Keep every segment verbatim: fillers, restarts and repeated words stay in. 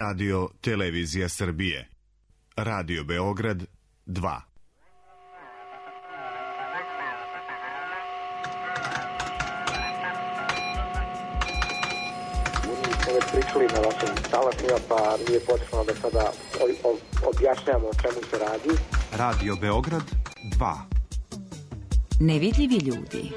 Radio Televizija Srbije. Radio Beograd dva. Smo već pričali na vašim talasima, pa nije potrebno da sada objašnjamo o čemu se radi. Radio Beograd dva. Nevidljivi ljudi.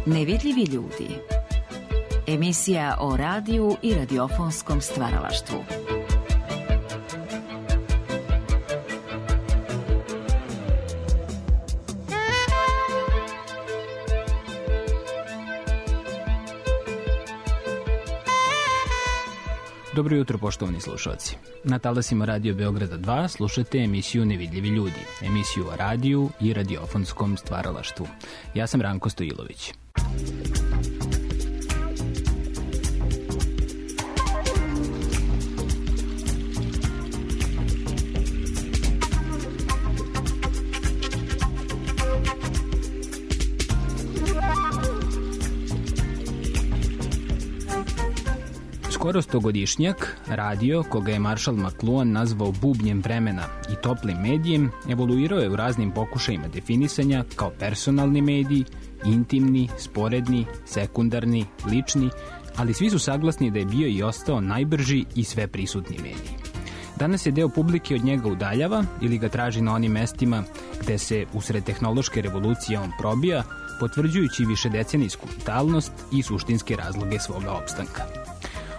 Nevidljivi ljudi. Emisija o radiju i radiofonskom stvaralaštvu. Dobro jutro, poštovani slušalci. Na talasima Radio Beograda dva slušate emisiju Nevidljivi ljudi, emisiju o radiju i radiofonskom stvaralaštvu. Ja sam Ranko Stojilović. Skoro stogodišnjak, radio, koga je Marshall McLuhan nazvao bubnjem vremena i toplim medijem, evoluirao je u raznim pokušajima definisanja kao personalni medij, intimni, sporedni, sekundarni, lični, ali svi su saglasni da je bio i ostao najbrži i sveprisutni medij. Danas je deo publike od njega udaljava ili ga traži na onim mestima gde se usred tehnološke revolucije on probija, potvrđujući višedecenijsku vitalnost i suštinske razloge svoga opstanka.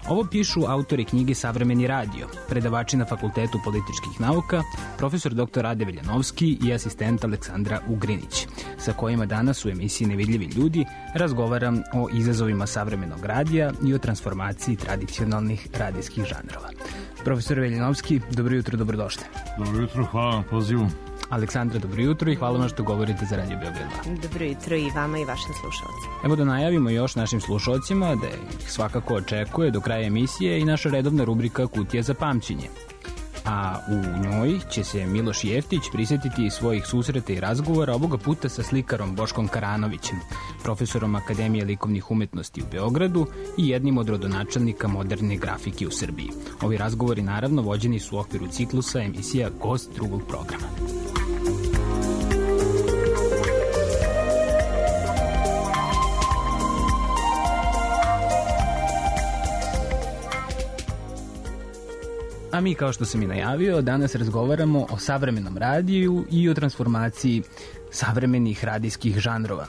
Ovo pišu autori knjige Savremeni radio, predavači na Fakultetu političkih nauka, profesor doktor Rade Veljanovski i asistent Aleksandra Ugrinić, sa kojima danas u emisiji Nevidljivi ljudi razgovaram o izazovima savremenog radija i o transformaciji tradicionalnih radijskih žanrova. Profesor Veljanovski, dobro jutro, dobrodošli. Dobro jutro, hvala na pozivu. Aleksandra, dobro jutro i hvala vam što govorite za Radio Beograd dva. Dobro jutro i vama i vašim slušalcima. Evo da najavimo još našim slušalcima da ih svakako očekuje do kraja emisije i naša redovna rubrika Kutija za pamćenje. A u njoj će se Miloš Jeftić prisjetiti svojih susreta i razgovora, ovoga puta sa slikarom Boškom Karanovićem, profesorom Akademije likovnih umetnosti u Beogradu i jednim od rodonačelnika moderne grafike u Srbiji. Ovi razgovori naravno vođeni su u okviru ciklusa emisija Gost drugog programa. A mi, kao što sam i najavio, danas razgovaramo o savremenom radiju i o transformaciji savremenih radijskih žanrova.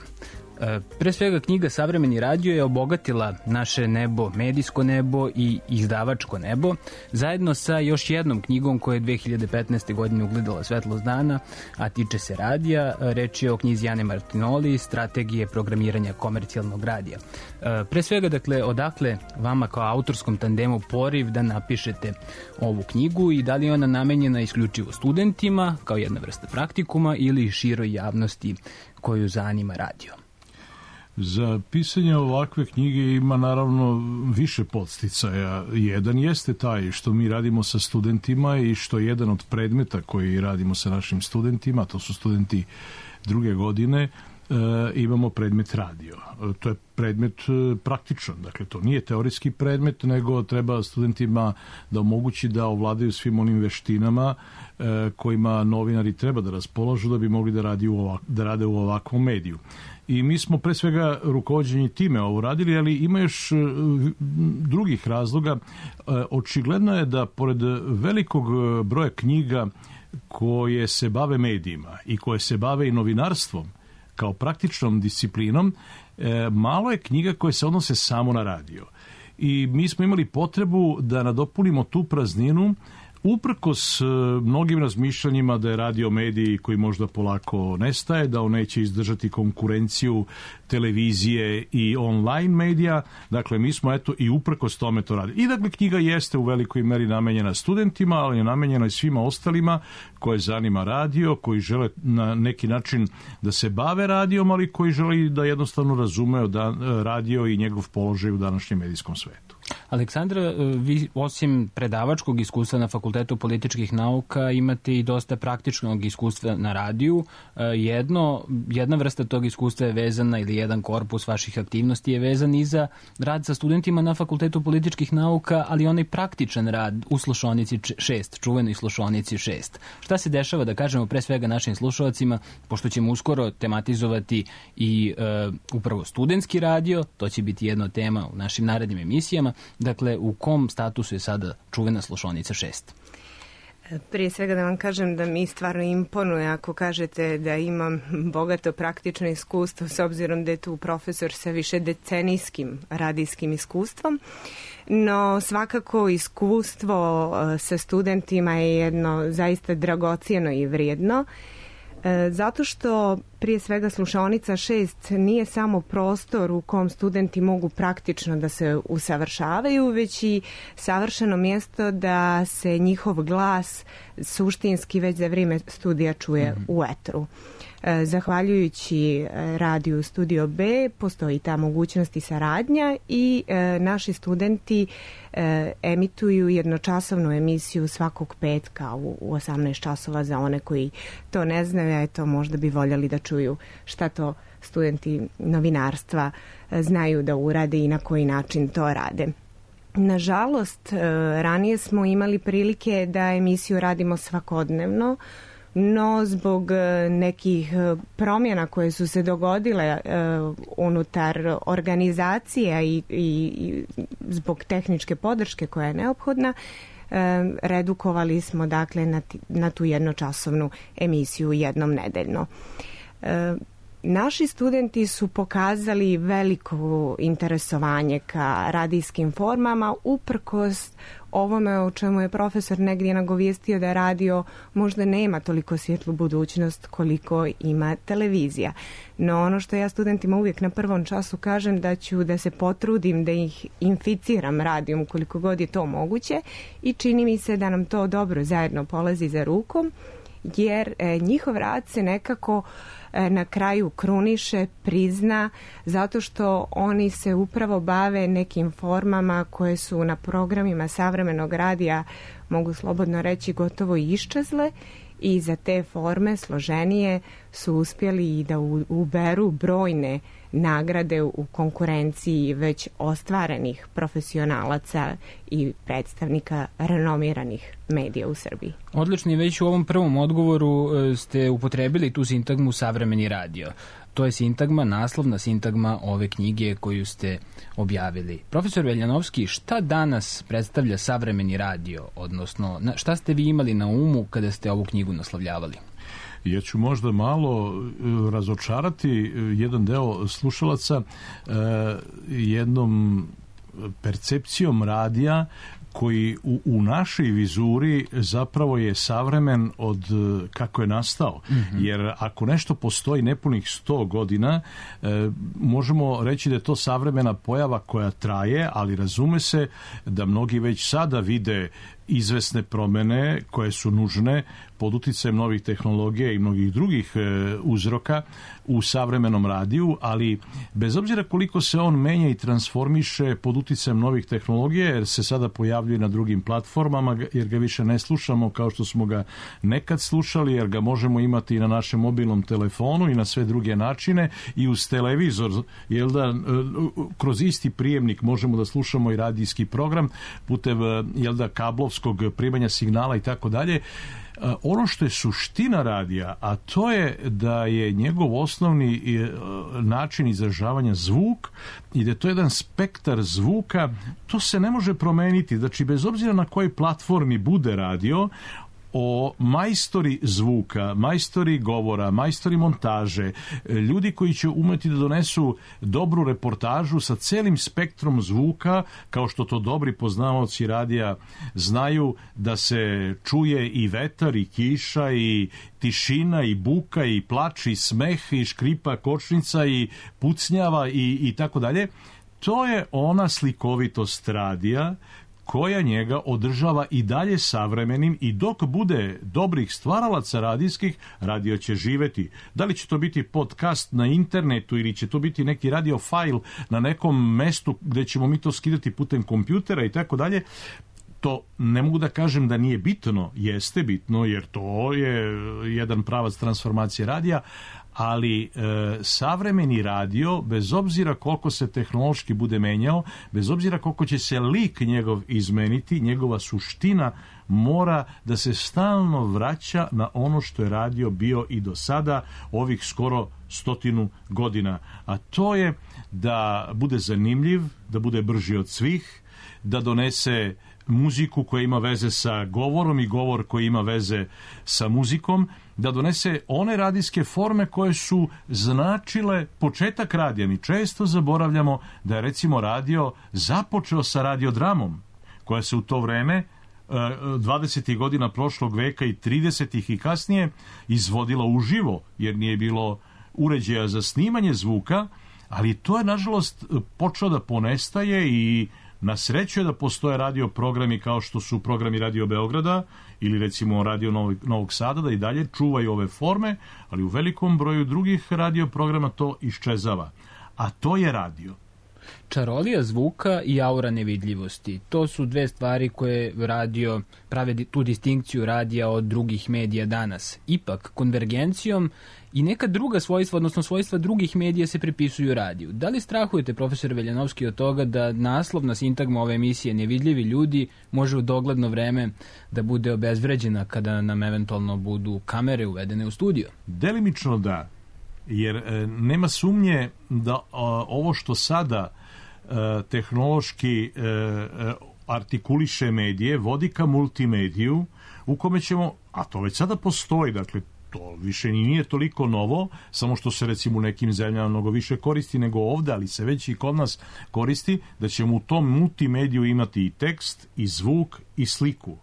Pre svega, knjiga Savremeni radio je obogatila naše nebo, medijsko nebo i izdavačko nebo, zajedno sa još jednom knjigom koja je dve hiljade petnaeste. godine ugledala svetlost dana, a tiče se radija. Reč je o knjizi Ane Martinoli, Strategije programiranja komercijalnog radija. Pre svega, dakle, odakle vama kao autorskom tandemu poriv da napišete ovu knjigu i da li je ona namenjena isključivo studentima, kao jedna vrsta praktikuma, ili široj javnosti koju zanima radio? Za pisanje ovakve knjige ima naravno više podsticaja. Jedan jeste taj što mi radimo sa studentima i što je jedan od predmeta koji radimo sa našim studentima, to su studenti druge godine, e, imamo predmet radio. E, to je predmet e, praktičan, dakle to nije teorijski predmet, nego treba studentima da omogući da ovladaju svim onim veštinama e, kojima novinari treba da raspolažu da bi mogli da, radi u ovak, da rade u ovakvom mediju. I mi smo pre svega rukovođeni time ovo radili, ali ima još drugih razloga. Očigledno je da pored velikog broja knjiga koje se bave medijima i koje se bave i novinarstvom kao praktičnom disciplinom, malo je knjiga koje se odnose samo na radio. I mi smo imali potrebu da nadopunimo tu prazninu uprkos mnogim razmišljanjima da je radio medij koji možda polako nestaje, da on neće izdržati konkurenciju televizije i online medija, dakle mi smo eto i uprkos tome to radili. I dakle knjiga jeste u velikoj meri namenjena studentima, ali je namenjena i svima ostalima koje zanima radio, koji žele na neki način da se bave radijom, ali koji žele da jednostavno razumeju da radio i njegov položaj u današnjem medijskom svetu. Aleksandra, vi osim predavačkog iskustva na Fakultetu političkih nauka imate i dosta praktičnog iskustva na radiju. Jedno, jedna vrsta tog iskustva je vezana ili jedan korpus vaših aktivnosti je vezan i za rad sa studentima na Fakultetu političkih nauka, ali onaj praktičan rad u slušonici šest, čuvenoj slušonici šest. Šta se dešava, da kažemo pre svega našim slušalcima, pošto ćemo uskoro tematizovati i e, upravo studentski radio, to će biti jedna tema u našim narednim emisijama. Dakle, u kom statusu je sada čuvena slušonica šest? Prije svega da vam kažem da mi stvarno imponuje ako kažete da imam bogato praktično iskustvo, s obzirom da je tu profesor sa više decenijskim radijskim iskustvom. No svakako iskustvo sa studentima je jedno zaista dragocijeno i vrijedno. Zato što prije svega slušaonica šest nije samo prostor u kom studenti mogu praktično da se usavršavaju, već i savršeno mjesto da se njihov glas suštinski već za vrijeme studija čuje mm-hmm. u etru. Zahvaljujući radiju Studio B postoji ta mogućnost i saradnja i e, naši studenti e, emituju jednočasovnu emisiju svakog petka u, u osamnaest časova za one koji to ne znaju, a eto možda bi voljeli da čuju šta to studenti novinarstva e, znaju da urade i na koji način to rade. Nažalost, e, ranije smo imali prilike da emisiju radimo svakodnevno, no zbog nekih promjena koje su se dogodile uh, unutar organizacija i, i, i zbog tehničke podrške koja je neophodna, uh, redukovali smo dakle na, t- na tu jednočasovnu emisiju jednom nedeljno. Uh, Naši studenti su pokazali veliko interesovanje ka radijskim formama uprkos ovome o čemu je profesor negdje nagovijestio da radio možda nema toliko svjetlu budućnost koliko ima televizija. No ono što ja studentima uvijek na prvom času kažem da ću da se potrudim da ih inficiram radijom koliko god je to moguće i čini mi se da nam to dobro zajedno polazi za rukom jer e, njihov rad se nekako e, na kraju kruniše, prizna, zato što oni se upravo bave nekim formama koje su na programima savremenog radija, mogu slobodno reći, gotovo iščezle i za te forme složenije su uspjeli i da uberu brojne nagrade u konkurenciji već ostvarenih profesionalaca i predstavnika renomiranih medija u Srbiji. Odlično, već u ovom prvom odgovoru ste upotrebili tu sintagmu savremeni radio. To je sintagma, naslovna sintagma ove knjige koju ste objavili. Profesor Veljanovski, šta danas predstavlja savremeni radio, odnosno šta ste vi imali na umu kada ste ovu knjigu naslovljavali? Ja ću možda malo razočarati jedan deo slušalaca jednom percepcijom radija koji u, u našoj vizuri zapravo je savremen od kako je nastao. Mm-hmm. Jer ako nešto postoji nepunih sto godina, e, možemo reći da je to savremena pojava koja traje, ali razume se da mnogi već sada vide izvesne promene koje su nužne pod uticajem novih tehnologija i mnogih drugih e, uzroka u savremenom radiju, ali bez obzira koliko se on menja i transformiše pod uticajem novih tehnologija, jer se sada pojavljuje na drugim platformama, jer ga više ne slušamo kao što smo ga nekad slušali, jer ga možemo imati i na našem mobilnom telefonu i na sve druge načine i uz televizor, jel da, kroz isti prijemnik možemo da slušamo i radijski program putem, jel da, kablovskog primanja signala i tako dalje. Ono što je suština radija, a to je da je njegov osnovni način izražavanja zvuk i da je to jedan spektar zvuka, to se ne može promeniti. Znači, bez obzira na kojoj platformi bude radio, o majstori zvuka, majstori govora, majstori montaže, ljudi koji će umeti da donesu dobru reportažu sa celim spektrom zvuka, kao što to dobri poznavaoci radija znaju, da se čuje i vetar, i kiša, i tišina, i buka, i plač, i smeh, i škripa kočnica, i pucnjava, i, i tako dalje. To je ona slikovitost radija koja njega održava i dalje savremenim i dok bude dobrih stvaralaca radijskih, radio će živeti. Da li će to biti podcast na internetu ili će to biti neki radio fajl na nekom mestu gde ćemo mi to skidati putem kompjutera i tako dalje, to ne mogu da kažem da nije bitno, jeste bitno jer to je jedan pravac transformacije radija, ali e, savremeni radio, bez obzira koliko se tehnološki bude menjao, bez obzira koliko će se lik njegov izmeniti, njegova suština mora da se stalno vraća na ono što je radio bio i do sada, ovih skoro stotinu godina. A to je da bude zanimljiv, da bude brži od svih, da donese muziku koja ima veze sa govorom i govor koji ima veze sa muzikom, da donese one radijske forme koje su značile početak radija. Mi često zaboravljamo da je recimo radio započeo sa radiodramom, koja se u to vreme dvadesetih godina prošlog veka i tridesetih i kasnije izvodila uživo, jer nije bilo uređaja za snimanje zvuka, ali to je nažalost počeo da ponestaje i na sreću je da postoje radio programi kao što su programi Radio Beograda ili recimo Radio Novog, Novog Sada, da i dalje čuvaju ove forme, ali u velikom broju drugih radio programa to iščezava. A to je radio. Čarolija zvuka i aura nevidljivosti. To su dve stvari koje radio prave tu distinkciju radija od drugih medija danas. Ipak, konvergencijom i neka druga svojstva, odnosno svojstva drugih medija se pripisuju radiju. Da li strahujete, profesor Veljanovski, od toga da naslovna sintagma ove emisije Nevidljivi ljudi može u dogledno vreme da bude obezvređena kada nam eventualno budu kamere uvedene u studio? Delimično da, jer e, nema sumnje da a, ovo što sada e, tehnološki e, e, artikuliše medije vodi ka multimediju u kome ćemo, a to već sada postoji, dakle to više nije toliko novo, samo što se recimo u nekim zemljama mnogo više koristi nego ovde, ali se već i kod nas koristi, da ćemo u tom multimediju imati i tekst, i zvuk, i sliku.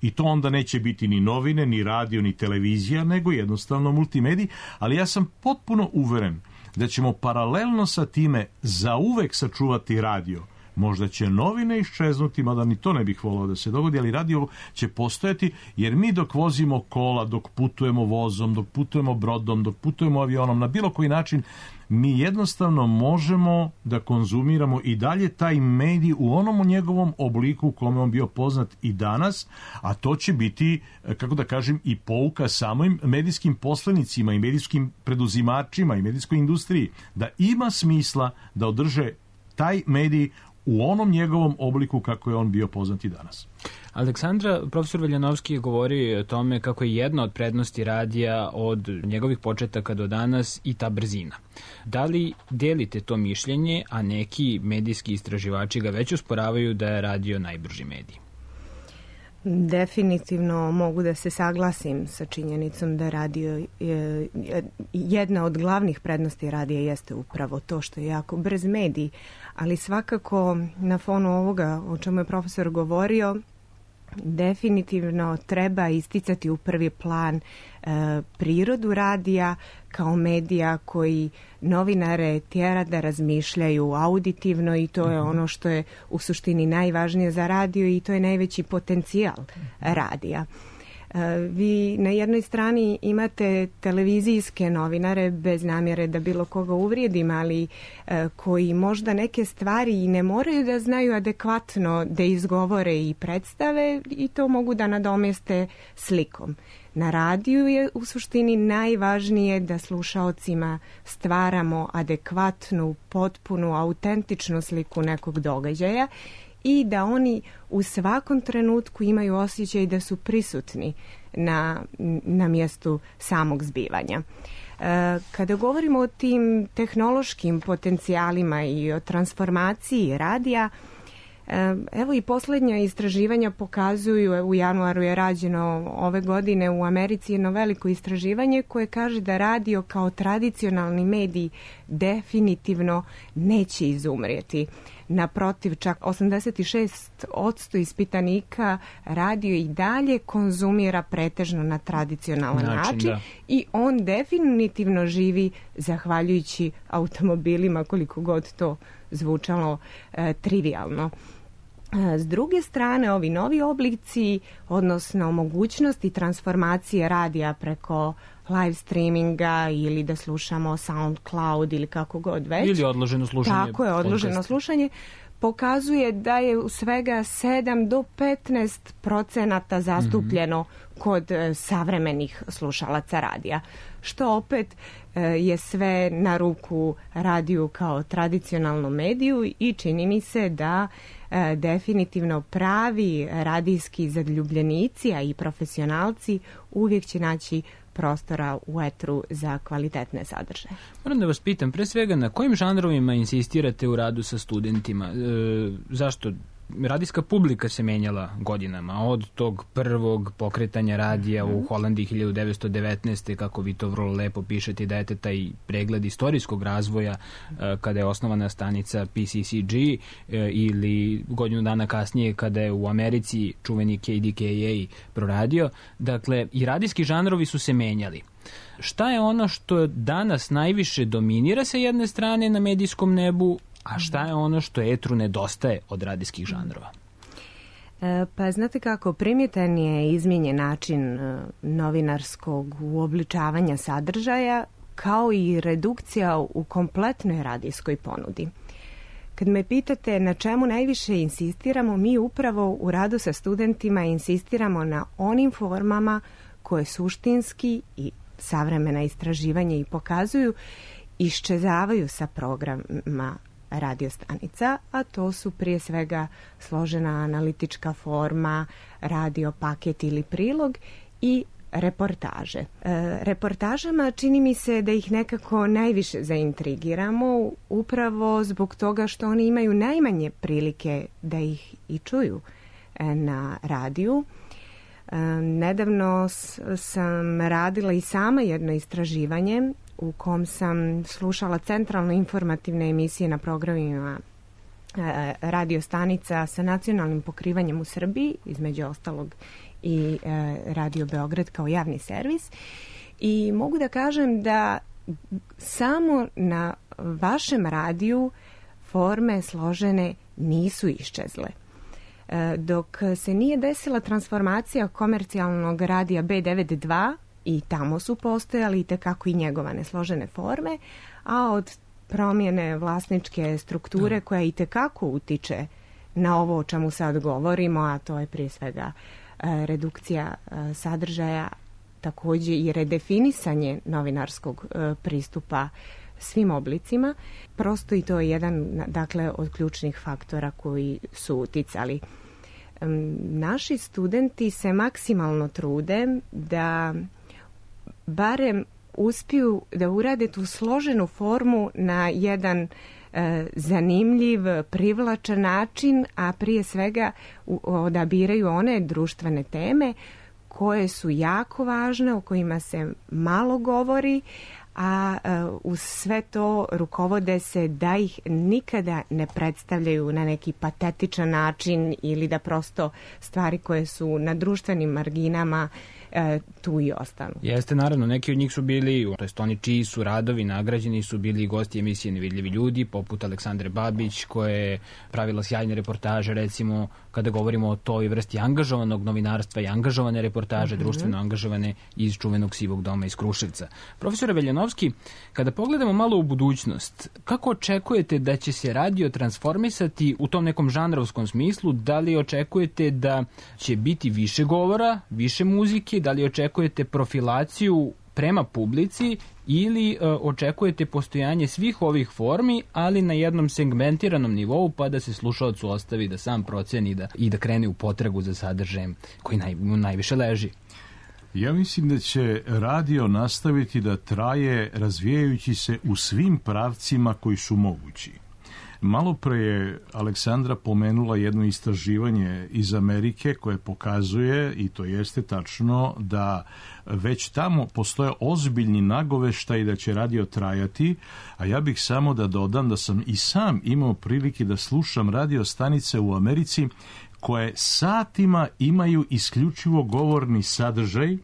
I to onda neće biti ni novine, ni radio, ni televizija, nego jednostavno multimedij, ali ja sam potpuno uveren da ćemo paralelno sa time zauvek sačuvati radio. Možda će novine iščeznuti, mada ni to ne bih volao da se dogodi, ali radio će postojati, jer mi dok vozimo kola, dok putujemo vozom, dok putujemo brodom, dok putujemo avionom, na bilo koji način, mi jednostavno možemo da konzumiramo i dalje taj medij u onom njegovom obliku u kome on bio poznat i danas, a to će biti, kako da kažem, i pouka samim medijskim poslenicima i medijskim preduzimačima i medijskoj industriji, da ima smisla da održe taj medij u onom njegovom obliku kako je on bio poznat i danas. Aleksandra, profesor Veljanovski je govorio o tome kako je jedna od prednosti radija od njegovih početaka do danas i ta brzina. Da li delite to mišljenje, a neki medijski istraživači ga već usporavaju da je radio najbrži medij? Definitivno mogu da se saglasim sa činjenicom da radio je, jedna od glavnih prednosti radija jeste upravo to što je jako brz medij, ali svakako na fonu ovoga o čemu je profesor govorio, definitivno treba isticati u prvi plan e, prirodu radija kao medija koji novinare tjera da razmišljaju auditivno i to je ono što je u suštini najvažnije za radio i to je najveći potencijal radija. Vi na jednoj strani imate televizijske novinare, bez namjere da bilo koga uvrijedim, ali koji možda neke stvari i ne moraju da znaju adekvatno da izgovore i predstave i to mogu da nadomjeste slikom. Na radiju je u suštini najvažnije da slušaocima stvaramo adekvatnu, potpunu, autentičnu sliku nekog događaja i da oni u svakom trenutku imaju osjećaj da su prisutni na, na mjestu samog zbivanja. E, kada govorimo o tim tehnološkim potencijalima i o transformaciji radija, e, evo i posljednja istraživanja pokazuju, u januaru je rađeno ove godine u Americi jedno veliko istraživanje koje kaže da radio kao tradicionalni medij definitivno neće izumrijeti. Naprotiv, čak osamdeset šest posto ispitanika radio i dalje konzumira pretežno na tradicionalan način, način i on definitivno živi zahvaljujući automobilima, koliko god to zvučalo e, trivijalno. S druge strane, ovi novi oblici, odnosno mogućnosti transformacije radija preko live streaminga ili da slušamo SoundCloud ili kako god već. Ili odloženo slušanje. Tako je, odloženo podcast. slušanje. Pokazuje da je u svega sedam do petnaest procenata zastupljeno mm-hmm. kod e, savremenih slušalaca radija. Što opet e, je sve na ruku radiju kao tradicionalnom mediju i čini mi se da e, definitivno pravi radijski zaljubljenici, a i profesionalci uvijek će naći prostora u etru za kvalitetne sadržaje. Moram da vas pitam, pre svega, na kojim žanrovima insistirate u radu sa studentima? E, zašto? Radijska publika se menjala godinama, od tog prvog pokretanja radija mm-hmm. u Holandiji hiljadu devetsto devetnaeste. kako vi to vrlo lepo pišete, dajete taj pregled istorijskog razvoja e, kada je osnovana stanica P C C G e, ili godinu dana kasnije kada je u Americi čuveni K D K A proradio. Dakle, i radijski žanrovi su se menjali. Šta je ono što danas najviše dominira sa jedne strane na medijskom nebu, a šta je ono što etru nedostaje od radijskih žanrova? E, pa znate kako, primjetan je izmijenjen način e, novinarskog uobličavanja sadržaja, kao i redukcija u kompletnoj radijskoj ponudi. Kad me pitate na čemu najviše insistiramo, mi upravo u radu sa studentima insistiramo na onim formama koje suštinski i savremena istraživanja i pokazuju iščezavaju sa programa radiostanica, a to su prije svega složena analitička forma, radio paket ili prilog i reportaže. E, reportažama čini mi se da ih nekako najviše zaintrigiramo upravo zbog toga što oni imaju najmanje prilike da ih i čuju e, na radiju. E, nedavno s, sam radila i sama jedno istraživanje u kom sam slušala centralno informativne emisije na programima e, radiostanica sa nacionalnim pokrivanjem u Srbiji, između ostalog i e, Radio Beograd kao javni servis. I mogu da kažem da samo na vašem radiju forme složene nisu iščezle. E, dok se nije desila transformacija komercijalnog radija B devedeset dva, i tamo su postojali itekako i njegovane složene forme, a od promjene vlasničke strukture koja itekako utiče na ovo o čemu sad govorimo, a to je prije svega e, redukcija e, sadržaja, također i redefinisanje novinarskog e, pristupa svim oblicima. Prosto i to je jedan, dakle, od ključnih faktora koji su uticali. E, naši studenti se maksimalno trude da barem uspiju da urade tu složenu formu na jedan e, zanimljiv, privlačan način, a prije svega u, odabiraju one društvene teme koje su jako važne, o kojima se malo govori, a e, uz sve to rukovode se da ih nikada ne predstavljaju na neki patetičan način ili da prosto stvari koje su na društvenim marginama E, tu i ostanu. Jeste, naravno, neki od njih su bili, to jest oni čiji su radovi nagrađeni su bili gosti emisije Nevidljivi ljudi, poput Aleksandre Babić, koja je pravila sjajne reportaže, recimo, kada govorimo o toj vrsti angažovanog novinarstva i angažovane reportaže, mm-hmm. društveno angažovane iz čuvenog Sivog doma iz Kruševca. Profesore Veljanovski, kada pogledamo malo u budućnost, kako očekujete da će se radio transformisati u tom nekom žanrovskom smislu? Da li očekujete da će biti više govora, više muzike, da li očekujete profilaciju prema publici ili e, očekujete postojanje svih ovih formi, ali na jednom segmentiranom nivou, pa da se slušalcu ostavi da sam proceni da, i da krene u potragu za sadržajem koji naj, mu najviše leži? Ja mislim da će radio nastaviti da traje razvijajući se u svim pravcima koji su mogući. Malo pre je Aleksandra pomenula jedno istraživanje iz Amerike koje pokazuje, i to jeste tačno, da već tamo postoje ozbiljni nagoveštaj da će radio trajati, a ja bih samo da dodam da sam i sam imao prilike da slušam radio stanice u Americi koje satima imaju isključivo govorni sadržaj,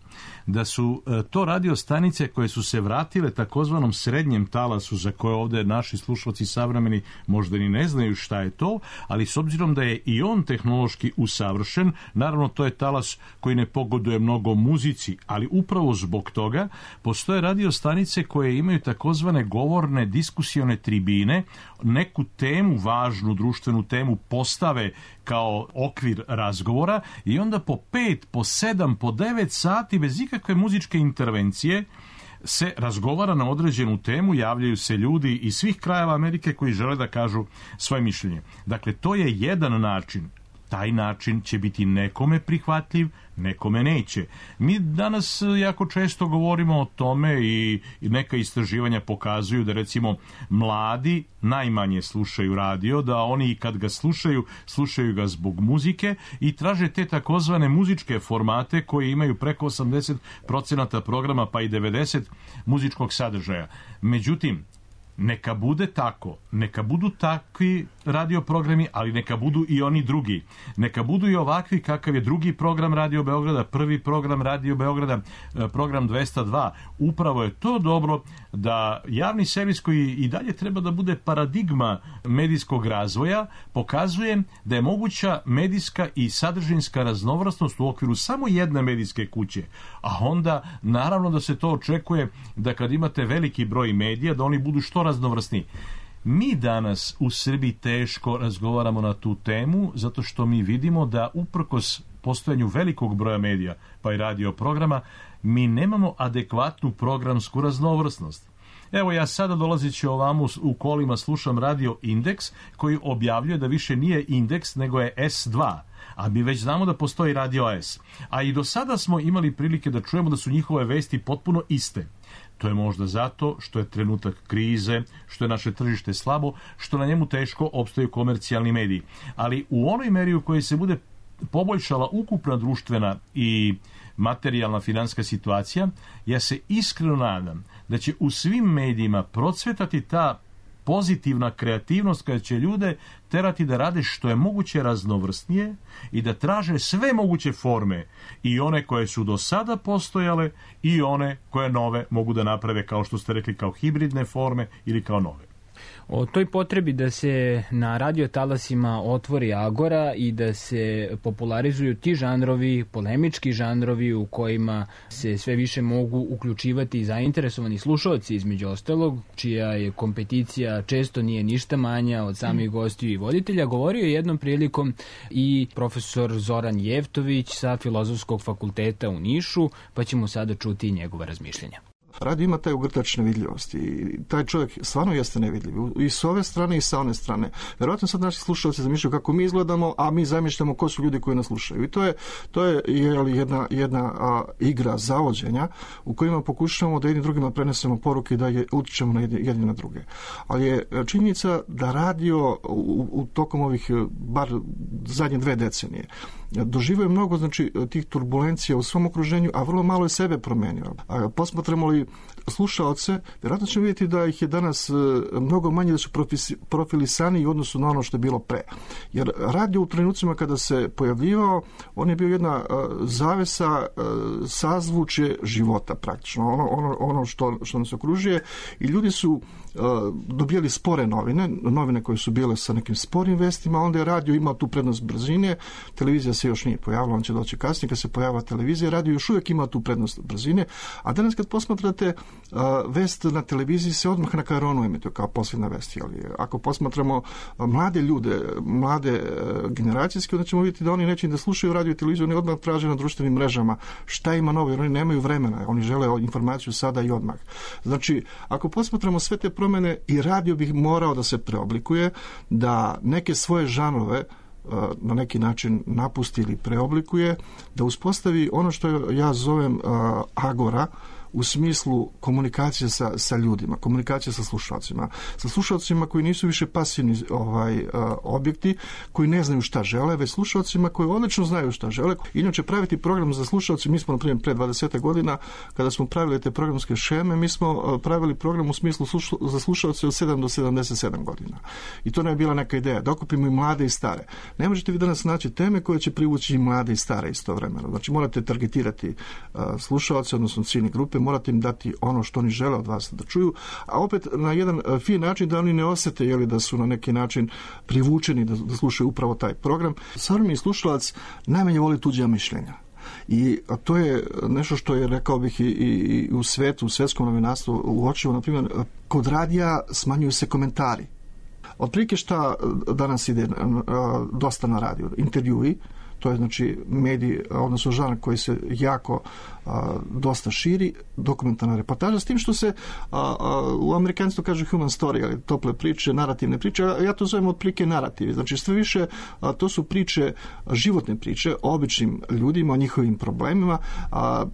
da su to radio stanice koje su se vratile takozvanom srednjem talasu, za koje ovde naši slušalci savremeni možda ni ne znaju šta je to, ali s obzirom da je i on tehnološki usavršen, naravno to je talas koji ne pogoduje mnogo muzici, ali upravo zbog toga postoje radio stanice koje imaju takozvane govorne diskusione tribine, neku temu, važnu društvenu temu postave kao okvir razgovora i onda po pet, po sedam, po devet sati bez ikakve muzičke intervencije se razgovara na određenu temu, javljaju se ljudi iz svih krajeva Amerike koji žele da kažu svoje mišljenje. Dakle, to je jedan način. Taj način će biti nekome prihvatljiv, nekome neće. Mi danas jako često govorimo o tome i neka istraživanja pokazuju da recimo mladi najmanje slušaju radio, da oni i kad ga slušaju, slušaju ga zbog muzike i traže te takozvane muzičke formate koji imaju preko osamdeset procenata programa pa i devedeset procenata muzičkog sadržaja. Međutim, neka bude tako, neka budu takvi radio programi, ali neka budu i oni drugi. Neka budu i ovakvi kakav je drugi program Radio Beograda, prvi program Radio Beograda, program dvesta dva. Upravo je to dobro da javni servis koji i dalje treba da bude paradigma medijskog razvoja, pokazuje da je moguća medijska i sadržinska raznovrsnost u okviru samo jedne medijske kuće. A onda, naravno da se to očekuje da kad imate veliki broj medija, da oni budu što raznovrsniji. Mi danas u Srbiji teško razgovaramo na tu temu, zato što mi vidimo da uprkos postojanju velikog broja medija, pa i radio programa, mi nemamo adekvatnu programsku raznovrsnost. Evo, ja sada dolazeći ovamo u kolima slušam Radio Indeks, koji objavljuje da više nije Indeks, nego je es dva. A mi već znamo da postoji Radio S. A i do sada smo imali prilike da čujemo da su njihove vesti potpuno iste. To je možda zato što je trenutak krize, što je naše tržište slabo, što na njemu teško opstaju komercijalni mediji. Ali u onoj meri u kojoj se bude poboljšala ukupna društvena i materijalna finansijska situacija, ja se iskreno nadam da će u svim medijima procvetati ta pozitivna kreativnost koja će ljude terati da rade što je moguće raznovrsnije i da traže sve moguće forme, i one koje su do sada postojale i one koje nove mogu da naprave, kao što ste rekli, kao hibridne forme ili kao nove. O toj potrebi da se na radio talasima otvori agora i da se popularizuju ti žanrovi, polemički žanrovi u kojima se sve više mogu uključivati zainteresovani slušalci, između ostalog, čija je kompeticija često nije ništa manja od samih gostiju i voditelja, govorio je jednom prilikom i profesor Zoran Jevtović sa Filozofskog fakulteta u Nišu, pa ćemo sada čuti njegova razmišljenja. Radio ima taj ugrtač nevidljivosti i taj čovjek stvarno jeste nevidljiv i s ove strane i sa one strane. Vjerojatno sad naši slušalci zamišljaju kako mi izgledamo, a mi zamišljamo ko su ljudi koji nas slušaju. I to je, to je jedna, jedna a, igra zavođenja u kojima pokušavamo da jednim drugima prenesemo poruke i da je utičemo na jedni, jedni na druge. Ali je činjenica da radio u, u tokom ovih bar zadnje dve decenije doživio mnogo, znači, tih turbulencija u svom okruženju, a vrlo malo je sebe promenio. A posmatramo li slušaoce, vjerojatno ćemo vidjeti da ih je danas mnogo manje, da su profilisani u odnosu na ono što je bilo pre. Jer radio u trenucima kada se pojavljivao, on je bio jedna zavesa, sazvučje života praktično, ono, ono, ono što, što nas okružuje, i ljudi su dobijali spore novine, novine koje su bile sa nekim sporim vestima, onda je radio imao tu prednost brzine, televizija se još nije pojavila, on će doći kasnije, kad se pojavila televizija, radio još uvijek ima tu prednost brzine, a danas kad posmatrate uh, vest na televiziji se odmah na karonu emituje kao posljedna vest. Ali ako posmatramo uh, mlade ljude, mlade uh, generacijske, onda ćemo vidjeti da oni neće da slušaju radio i televiziju, oni odmah traže na društvenim mrežama šta ima novo, jer oni nemaju vremena, oni žele informaciju sada i odmah. Znači, ako posmatramo sve te promjene, i radio bih morao da se preoblikuje, da neke svoje žanrove na neki način napusti ili preoblikuje, da uspostavi ono što ja zovem agora, u smislu komunikacije sa, sa ljudima, komunikacije sa slušalcima, sa slušalcima koji nisu više pasivni ovaj, objekti, koji ne znaju šta žele, već slušalcima koji odlično znaju šta žele. Inače, praviti program za slušalce, mi smo, na primjer, pre dvadeset godina, kada smo pravili te programske šeme, mi smo pravili program u smislu sluša, za slušalce od sedam do sedamdeset sedam godina. I to ne je bila neka ideja, da okupimo i mlade i stare. Ne možete vi danas naći teme koje će privući i mlade i stare istovremeno. Znači, morate targetirati uh, slušalce, odnosno ciljne grupe, morate im dati ono što oni žele od vas da čuju, a opet na jedan uh, fin način da oni ne osete jeli, da su na neki način privučeni da, da slušaju upravo taj program. Savremeni slušalac najmanje voli tuđa mišljenja. I to je nešto što je, rekao bih, i, i u svetu, u svetskom novinarstvu uočivo, na primjer, kod radija smanjuju se komentari. Otprilike šta danas ide dosta na radiju? Intervjui, to je znači medij, odnosno žanr koji se jako a, dosta širi, dokumentarna reportaža, s tim što se a, a, u amerikanstvu kaže human story, ali tople priče, narativne priče, ja to zovem otprilike narativi. Znači sve više a, to su priče, životne priče o običnim ljudima, o njihovim problemima, a,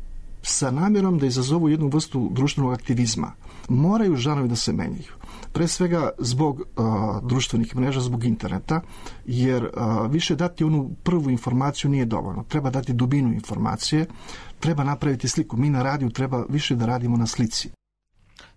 sa namjerom da izazovu jednu vrstu društvenog aktivizma. Moraju žanovi da se menjaju. Pre svega zbog uh, društvenih mreža, zbog interneta, jer uh, više dati onu prvu informaciju nije dovoljno. Treba dati dubinu informacije, treba napraviti sliku. Mi na radiju treba više da radimo na slici.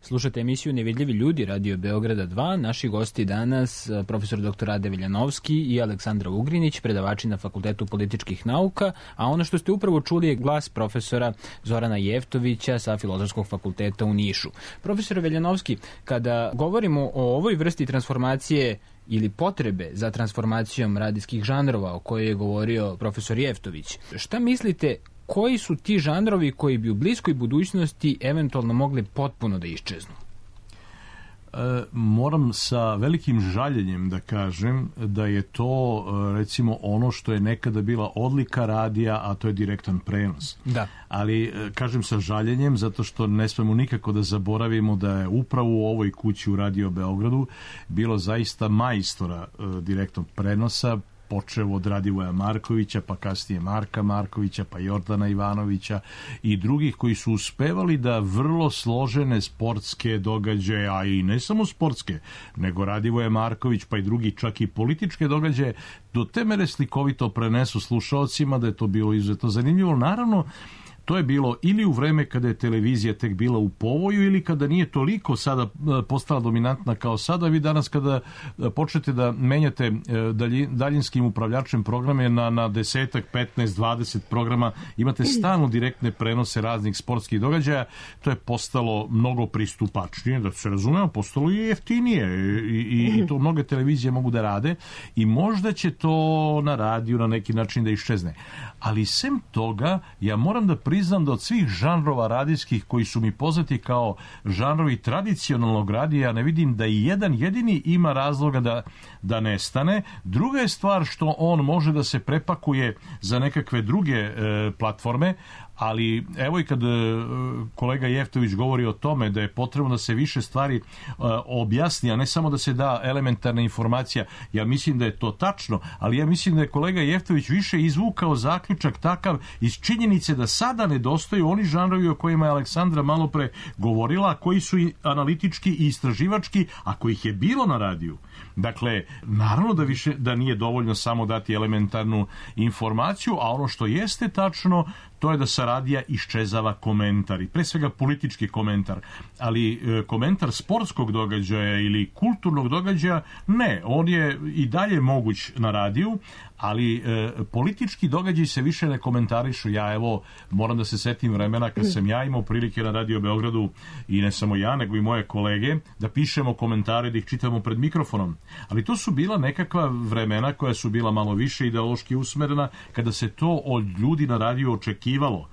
Slušate emisiju Nevidljivi ljudi, Radio Beograda dva. Naši gosti danas, profesor doktor Rade Veljanovski i Aleksandra Ugrinić, predavači na Fakultetu političkih nauka, a ono što ste upravo čuli je glas profesora Zorana Jeftovića sa Filozofskog fakulteta u Nišu. Profesor Veljanovski, kada govorimo o ovoj vrsti transformacije ili potrebe za transformacijom radijskih žanrova o kojoj je govorio profesor Jeftović, šta mislite, koji su ti žanrovi koji bi u bliskoj budućnosti eventualno mogli potpuno da iščeznu? E, moram sa velikim žaljenjem da kažem da je to recimo ono što je nekada bila odlika radija, a to je direktan prenos. Da. Ali kažem sa žaljenjem zato što ne smemo nikako da zaboravimo da je upravo u ovoj kući u Radio Beogradu bilo zaista majstora e, direktnog prenosa, počeo od Radivoja Markovića, pa kasnije Marka Markovića, pa Jordana Ivanovića i drugih koji su uspevali da vrlo složene sportske događaje, a i ne samo sportske, nego Radivoje Marković, pa i drugi čak i političke događaje, do te mere slikovito prenesu slušaocima da je to bilo izuzetno zanimljivo. Naravno, to je bilo ili u vreme kada je televizija tek bila u povoju ili kada nije toliko sada postala dominantna kao sada. Vi danas kada počnete da menjate daljinskim upravljačem programe na, na desetak, petnaest, dvadeset programa, imate stalno direktne prenose raznih sportskih događaja, to je postalo mnogo pristupačnije, da se razumemo, postalo i jeftinije i, i, i to mnoge televizije mogu da rade i možda će to na radiju na neki način da iščezne. Ali sem toga, ja moram da priznam da od svih žanrova radijskih koji su mi poznati kao žanrovi tradicionalnog radija, ne vidim da i jedan jedini ima razloga da, da nestane. Druga je stvar što on može da se prepakuje za nekakve druge e, platforme, ali evo i kad e, kolega Jeftović govori o tome da je potrebno da se više stvari e, objasni, a ne samo da se da elementarna informacija, ja mislim da je to tačno, ali ja mislim da je kolega Jeftović više izvukao zaključak takav iz činjenice da sada nedostaju oni žanrovi o kojima je Aleksandra malo pre govorila, koji su i analitički i istraživački, a kojih je bilo na radiju. Dakle, naravno da više da nije dovoljno samo dati elementarnu informaciju, a ono što jeste tačno, to je da sa radija iščezava komentar i pre svega politički komentar, ali e, komentar sportskog događaja ili kulturnog događaja ne, on je i dalje moguć na radiju, ali e, politički događaji se više ne komentarišu. Ja evo moram da se setim vremena kad sam ja imao prilike na Radio Beogradu i ne samo ja, nego i moje kolege da pišemo komentare, da ih čitamo pred mikrofonom. Ali to su bila nekakva vremena koja su bila malo više ideološki usmerena, kada se to od ljudi na radiju očekivalo.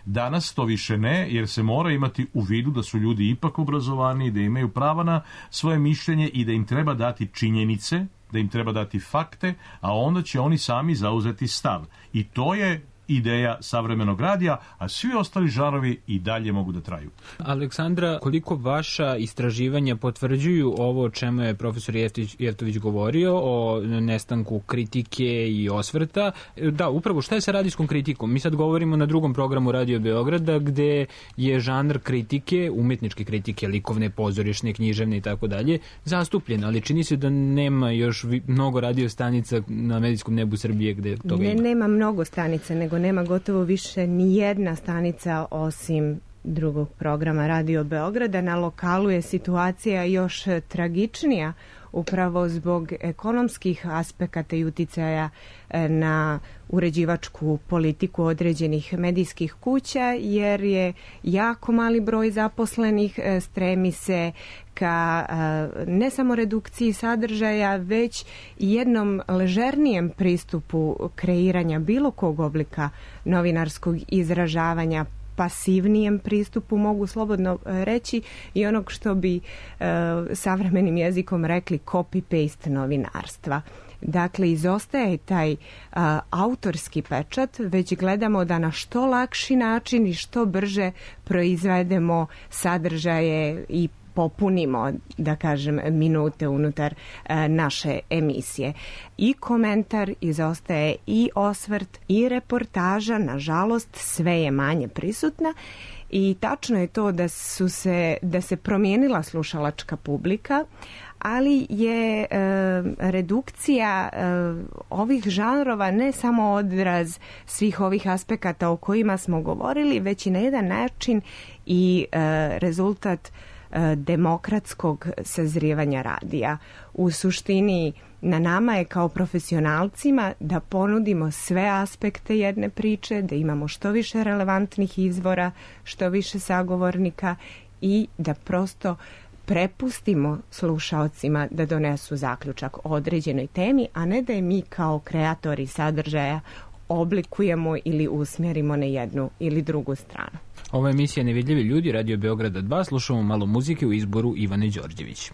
Danas to više ne, jer se mora imati u vidu da su ljudi ipak obrazovani, da imaju prava na svoje mišljenje i da im treba dati činjenice, da im treba dati fakte, a onda će oni sami zauzeti stav. I to je ideja savremenog radija, a svi ostali žanrovi i dalje mogu da traju. Aleksandra, koliko vaša istraživanja potvrđuju ovo o čemu je profesor Jeftić, Jeftović govorio, o nestanku kritike i osvrta? Da, upravo šta je sa radijskom kritikom? Mi sad govorimo na drugom programu Radio Beograda, gde je žanr kritike, umetničke kritike, likovne, pozorišne, književne i tako dalje, zastupljen, ali čini se da nema još mnogo radio stanica na medijskom nebu Srbije gde toga ne, ima. Nema mnogo stanica, nego nema gotovo više ni jedna stanica osim drugog programa Radio Beograda. Na lokalu je situacija još tragičnija upravo zbog ekonomskih aspekata i uticaja na uređivačku politiku određenih medijskih kuća, jer je jako mali broj zaposlenih, stremi se ka ne samo redukciji sadržaja, već i jednom ležernijem pristupu kreiranja bilo kog oblika novinarskog izražavanja, pasivnijem pristupu, mogu slobodno reći, i onog što bi e, savremenim jezikom rekli copy-paste novinarstva. Dakle, izostaje taj a, autorski pečat, već gledamo da na što lakši način i što brže proizvedemo sadržaje i popunimo, da kažem, minute unutar e, naše emisije. I komentar izostaje, i osvrt, i reportaža, nažalost, sve je manje prisutna. I tačno je to da su se, da se promijenila slušalačka publika, ali je e, redukcija e, ovih žanrova ne samo odraz svih ovih aspekata o kojima smo govorili, već i na jedan način i e, rezultat demokratskog sazrijevanja radija. U suštini, na nama je kao profesionalcima da ponudimo sve aspekte jedne priče, da imamo što više relevantnih izvora, što više sagovornika i da prosto prepustimo slušaocima da donesu zaključak o određenoj temi, a ne da je mi kao kreatori sadržaja oblikujemo ili usmjerimo na jednu ili drugu stranu. Ova je emisija Nevidljivi ljudi, Radio Beograda dva, slušamo malo muzike u izboru Ivane Đorđević.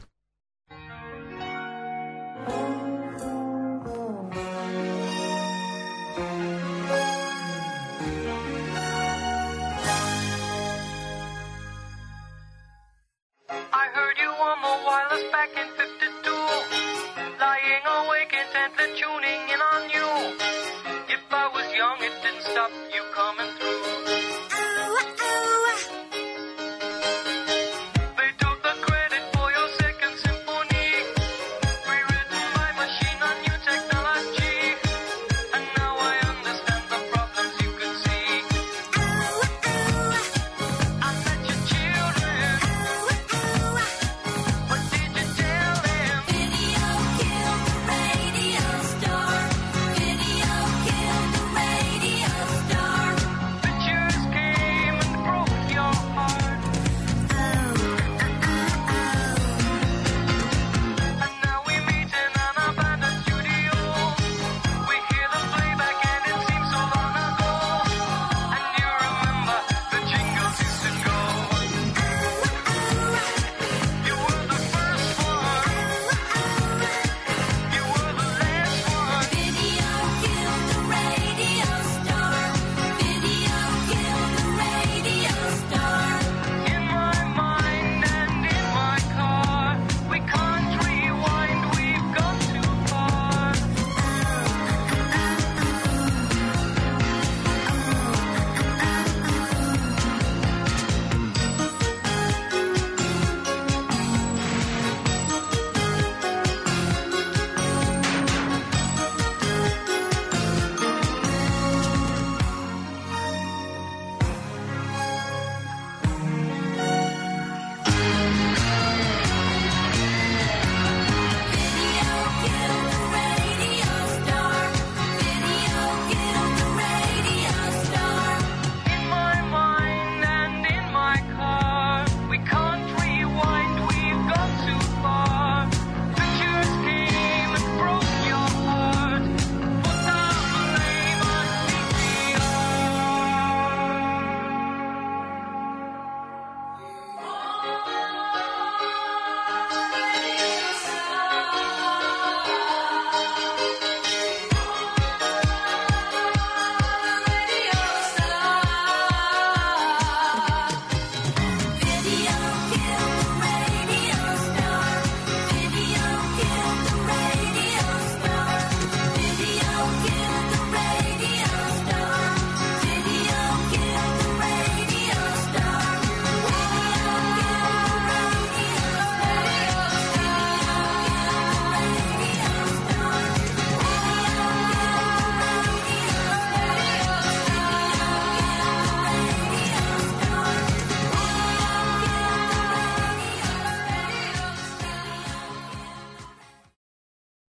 I heard you on the wireless back in fifty-two, lying awake intently tuning in on you. If I was young, it didn't stop you coming through. They took the credit for your second symphony, rewritten by machine on new technology. And now I understand the problems you could see. I met your children. What did you tell them? Video killed the radio star.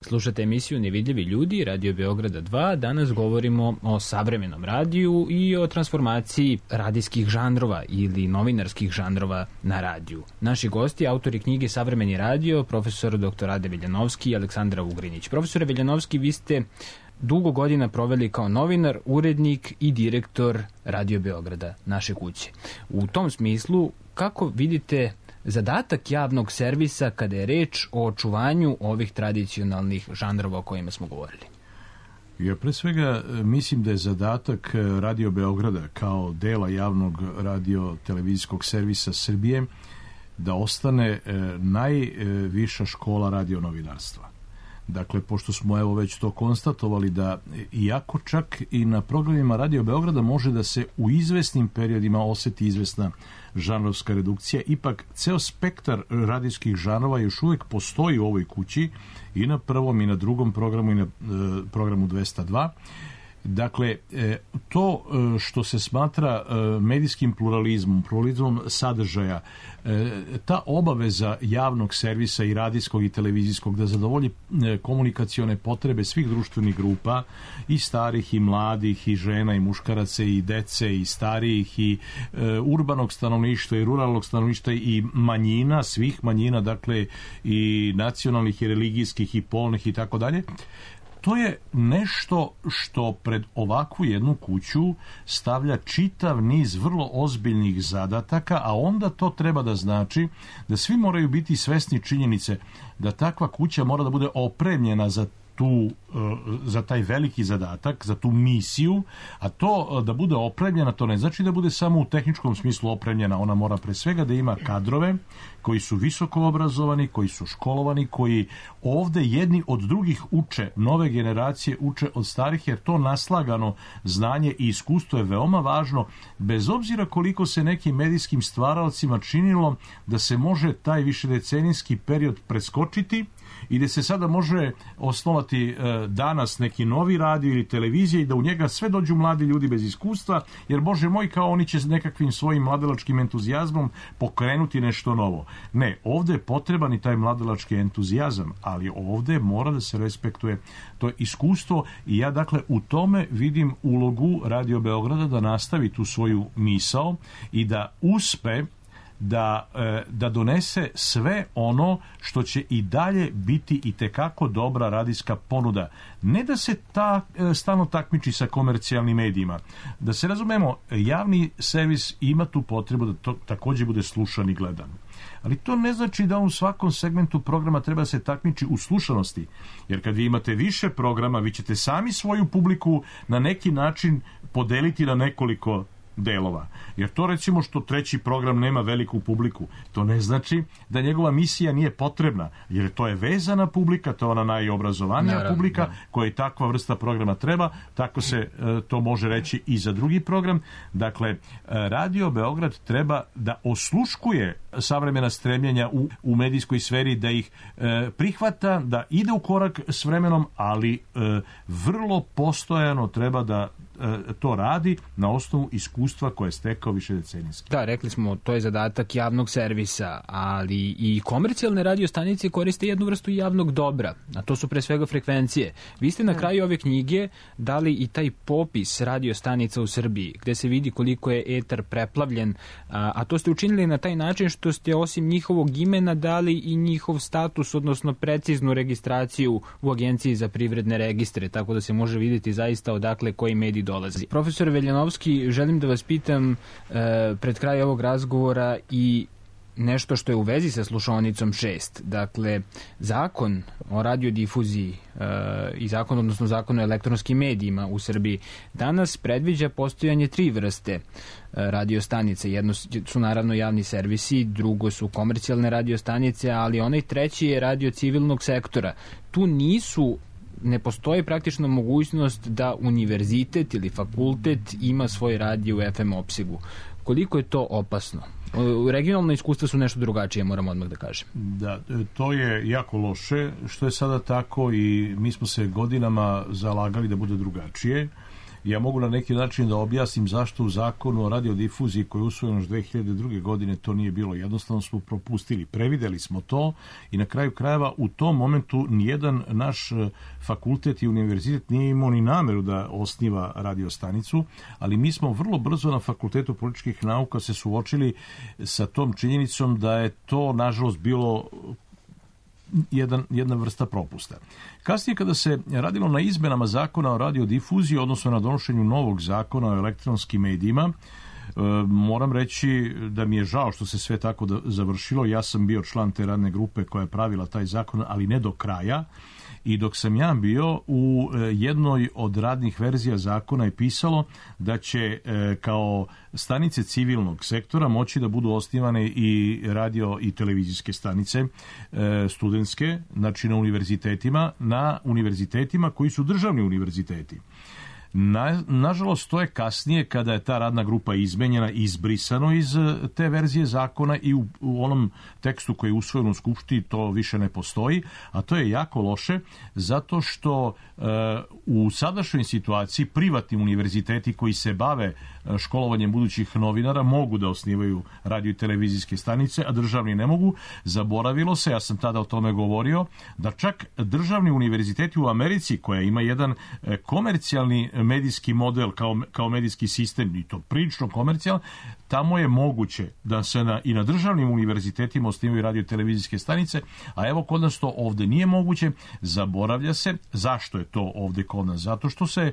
Slušate emisiju Nevidljivi ljudi, Radio Beograda dva. Danas govorimo o savremenom radiju i o transformaciji radijskih žanrova ili novinarskih žanrova na radiju. Naši gosti, autori knjige Savremeni radio, profesor doktor Rade Veljanovski i Aleksandra Ugrinić. Profesore Veljanovski, vi ste dugo godina proveli kao novinar, urednik i direktor Radio Beograda, naše kuće. U tom smislu, kako vidite zadatak javnog servisa kada je reč o očuvanju ovih tradicionalnih žanrova o kojima smo govorili? Ja pre svega mislim da je zadatak Radio Beograda kao dela javnog radio-televizijskog servisa Srbije da ostane najviša škola radionovinarstva. Dakle, pošto smo evo već to konstatovali da iako čak i na programima Radio Beograda može da se u izvesnim periodima oseti izvesna žanrovska redukcija, ipak ceo spektar radijskih žanrova još uvek postoji u ovoj kući i na prvom i na drugom programu i na e, programu dvesta dva. Dakle, to što se smatra medijskim pluralizmom, pluralizmom sadržaja, ta obaveza javnog servisa i radijskog i televizijskog da zadovolji komunikacione potrebe svih društvenih grupa, i starih i mladih, i žena i muškaraca, i dece i starijih, i urbanog stanovništva i ruralnog stanovništva, i manjina, svih manjina, dakle i nacionalnih i religijskih i polnih i tako dalje. To je nešto što pred ovakvu jednu kuću stavlja čitav niz vrlo ozbiljnih zadataka, a onda to treba da znači da svi moraju biti svesni činjenice da takva kuća mora da bude opremljena za tu, za taj veliki zadatak, za tu misiju, a to da bude opremljena, to ne znači da bude samo u tehničkom smislu opremljena, ona mora pre svega da ima kadrove koji su visoko obrazovani, koji su školovani, koji ovde jedni od drugih uče, nove generacije uče od starih, jer to naslagano znanje i iskustvo je veoma važno, bez obzira koliko se nekim medijskim stvaralcima činilo da se može taj višedecenijski period preskočiti i da se sada može osnovati danas neki novi radio ili televizija i da u njega sve dođu mladi ljudi bez iskustva, jer Bože moj, kao oni će s nekakvim svojim mladalačkim entuzijazmom pokrenuti nešto novo. Ne, ovde je potreban i taj mladalački entuzijazam, ali ovde mora da se respektuje to iskustvo i ja dakle u tome vidim ulogu Radio Beograda da nastavi tu svoju misao i da uspe da, da donese sve ono što će i dalje biti i tekako dobra radijska ponuda. Ne da se ta stalno takmiči sa komercijalnim medijima. Da se razumemo, javni servis ima tu potrebu da to takođe bude slušan i gledan. Ali to ne znači da u svakom segmentu programa treba se takmiči u slušanosti. Jer kad vi imate više programa, vi ćete sami svoju publiku na neki način podeliti na nekoliko delova. Jer to recimo što treći program nema veliku publiku, to ne znači da njegova misija nije potrebna, jer to je vezana publika, to je ona najobrazovanija Naravno, publika da. koja i takva vrsta programa treba, tako se e, to može reći i za drugi program. Dakle, Radio Beograd treba da osluškuje savremena stremljenja u, u medijskoj sferi, da ih e, prihvata, da ide u korak s vremenom, ali e, vrlo postojano treba da to radi na osnovu iskustva koje je stekao više decenijski. Da, rekli smo, to je zadatak javnog servisa, ali i komercijalne radiostanice koriste jednu vrstu javnog dobra, a to su pre svega frekvencije. Vi ste na kraju ove knjige dali i taj popis radiostanica u Srbiji, gde se vidi koliko je etar preplavljen, a, a to ste učinili na taj način što ste osim njihovog imena dali i njihov status, odnosno preciznu registraciju u Agenciji za privredne registre, tako da se može vidjeti zaista odakle koji medij dolazi. Profesor Veljanovski, želim da vas pitam e, pred kraj ovog razgovora i nešto što je u vezi sa slušaonicom šest. Dakle, zakon o radiodifuziji e, i zakon, odnosno zakon o elektronskim medijima u Srbiji danas predviđa postojanje tri vrste e, radiostanice. Jedno su naravno javni servisi, drugo su komercijalne radiostanice, ali onaj treći je radio civilnog sektora. Tu nisu ne postoji praktično mogućnost da univerzitet ili fakultet ima svoj radio u ef em opsegu. Koliko je to opasno? Regionalno iskustva su nešto drugačije, moram odmah da kažem. Da, to je jako loše što je sada tako i mi smo se godinama zalagali da bude drugačije ja mogu na neki način da objasnim zašto u zakonu o radiodifuziji koji je usvojen još dve hiljade druge. godine to nije bilo. Jednostavno smo propustili, prevideli smo to i na kraju krajeva u tom momentu nijedan naš fakultet i univerzitet nije imao ni nameru da osniva radiostanicu, ali mi smo vrlo brzo na Fakultetu političkih nauka se suočili sa tom činjenicom da je to nažalost bilo Jedan, jedna vrsta propusta. Kasnije kada se radilo na izmenama zakona o radiodifuziji, odnosno na donošenju novog zakona o elektronskim medijima, e, moram reći da mi je žao što se sve tako da završilo. Ja sam bio član te radne grupe koja je pravila taj zakon, ali ne do kraja. I dok sam ja bio, u jednoj od radnih verzija zakona je pisalo da će e, kao stanice civilnog sektora moći da budu osnivane i radio i televizijske stanice e, studentske, znači na univerzitetima, na univerzitetima koji su državni univerziteti. Na, nažalost, to je kasnije, kada je ta radna grupa izmenjena, izbrisano iz te verzije zakona i u, u onom tekstu koji je usvojen u Skupštini to više ne postoji, a to je jako loše, zato što e, u sadašnjoj situaciji privatni univerziteti koji se bave školovanjem budućih novinara mogu da osnivaju radio i televizijske stanice, a državni ne mogu. Zaboravilo se, ja sam tada o tome govorio, da čak državni univerziteti u Americi, koja ima jedan komercijalni medijski model kao, kao medijski sistem, i to prilično komercijalan, tamo je moguće da se na, i na državnim univerzitetima osnivaju radio i televizijske stanice, a evo kod nas to ovde nije moguće. Zaboravlja se. Zašto je to ovde kod nas? Zato što se e,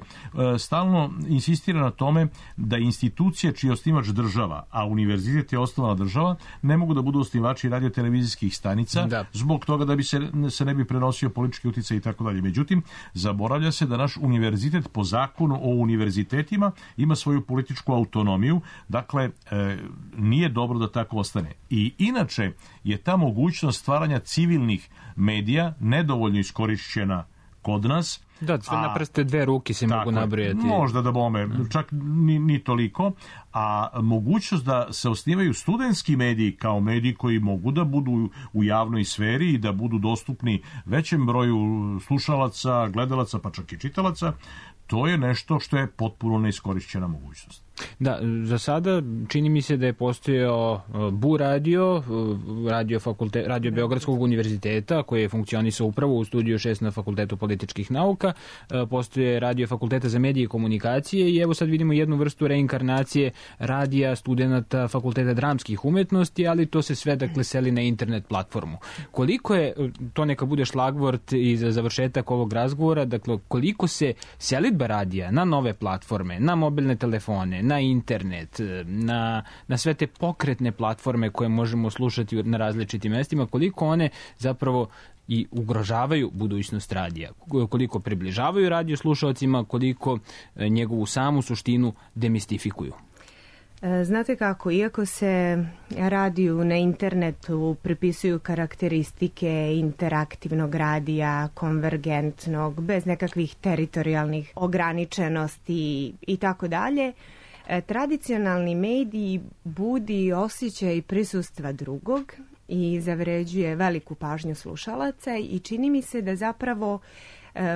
stalno insistira na tome da institucije čiji je osnivač država, a univerzitet je osnovana država, ne mogu da budu osnivači radio televizijskih stanica, da. Zbog toga da bi se, se ne bi prenosio politički uticaj i tako dalje. Međutim, zaboravlja se da naš univerzitet po zakonu o univerzitetima ima svoju političku autonomiju, dakle e, nije dobro da tako ostane. I inače je ta mogućnost stvaranja civilnih medija nedovoljno iskorišćena kod nas. Da, sve na prste dve ruke se mogu nabrojati. Možda da bome, čak ni, ni toliko. A mogućnost da se osnivaju studentski mediji kao mediji koji mogu da budu u javnoj sferi i da budu dostupni većem broju slušalaca, gledalaca, pa čak i čitalaca, to je nešto što je potpuno neiskorišćena mogućnost. Da, za sada čini mi se da je postojao Bu radio, radio, fakulte, radio Beogradskog univerziteta, koji je funkcionisao upravo u studiju šest na Fakultetu političkih nauka, postoje radio Fakulteta za medije i komunikacije i evo sad vidimo jednu vrstu reinkarnacije radija studenta Fakulteta dramskih umetnosti, ali to se sve dakle seli na internet platformu. Koliko je, to neka bude šlagvort i za završetak ovog razgovora, dakle koliko se selidba radija na nove platforme, na mobilne telefone, na internet, na, na sve te pokretne platforme koje možemo slušati na različitim mestima, koliko one zapravo i ugrožavaju budućnost radija, koliko približavaju radio slušalcima, koliko njegovu samu suštinu demistifikuju. Znate kako, iako se radiju na internetu pripisuju karakteristike interaktivnog radija, konvergentnog, bez nekakvih teritorijalnih ograničenosti i tako dalje, tradicionalni mediji budi osjećaj prisustva drugog i zavređuje veliku pažnju slušalaca i čini mi se da zapravo